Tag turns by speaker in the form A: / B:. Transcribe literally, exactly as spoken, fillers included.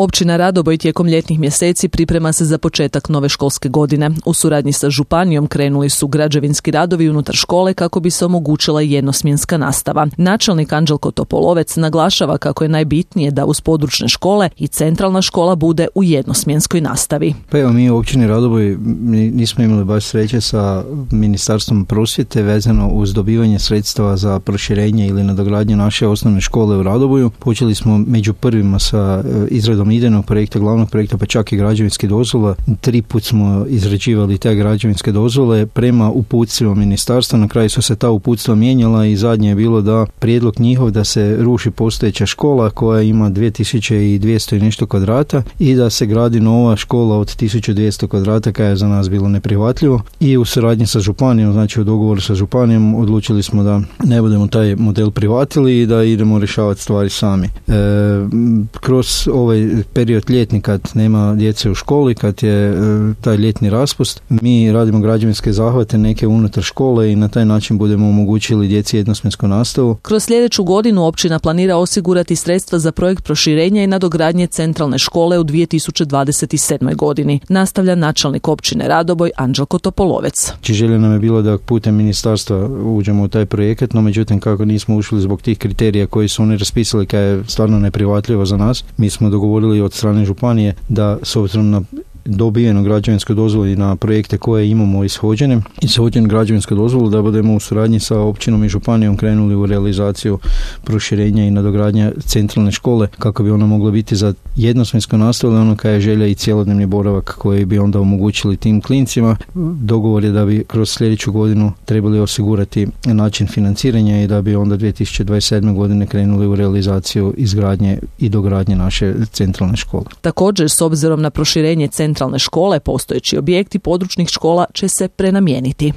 A: Općina Radoboj tijekom ljetnih mjeseci priprema se za početak nove školske godine. U suradnji sa županijom krenuli su građevinski radovi unutar škole kako bi se omogućila jednosmjenska nastava. Načelnik Anđelko Topolovec naglašava kako je najbitnije da uz područne škole i centralna škola bude u jednosmjenskoj nastavi.
B: Pa evo, mi u općini Radoboj nismo imali baš sreće sa Ministarstvom prosvjete vezano uz dobivanje sredstava za proširenje ili nadogradnju naše osnovne škole u Radoboju. Počeli smo među prvima sa izradom idejnog projekta, glavnog projekta, pa čak i građevinske dozvola. Tri put smo izrađivali te građevinske dozvole prema uputstvima ministarstva. Na kraju su se ta uputstva mijenjala i zadnje je bilo da prijedlog njihov da se ruši postojeća škola koja ima dvije tisuće dvjesto i nešto kvadrata i da se gradi nova škola od tisuću dvjesto kvadrata, koja je za nas bilo neprihvatljivo. I u suradnji sa županijom, znači u dogovoru sa županijom, odlučili smo da ne budemo taj model prihvatili i da idemo rješavati stvari sami. E, kroz ovaj period ljetni kad nema djece u školi, kad je e, taj ljetni raspust, mi radimo građevinske zahvate neke unutar škole i na taj način budemo omogućili djeci jednosmjensku nastavu.
A: Kroz sljedeću godinu općina planira osigurati sredstva za projekt proširenja i nadogradnje centralne škole u dvije tisuće dvadeset sedmoj godini. Nastavlja načelnik općine Radoboj Anđelko Topolovec.
B: Želja nam je bilo da putem ministarstva uđemo u taj projekat, no međutim kako nismo ušli zbog tih kriterija koji su oni raspisali, kad je stvarno neprihvatljivo za nas, mi smo dogovorili od strane županije da s obzirom na dobijenu građevinsku dozvolu i na projekte koje imamo ishođene i ishođenu građevinsku dozvolu da budemo u suradnji sa općinom i županijom krenuli u realizaciju proširenja i nadogradnja centralne škole kako bi ona mogla biti za jednosmjensku nastavu, ono koja je želja i cjelodnevni boravak koji bi onda omogućili tim klincima. Dogovor je da bi kroz sljedeću godinu trebali osigurati način financiranja i da bi onda dvije tisuće dvadeset sedme godine krenuli u realizaciju izgradnje i dogradnje naše centralne škole.
A: Također, s obzirom na proširenje centralne škole, postojeći objekti područnih škola će se prenamijeniti.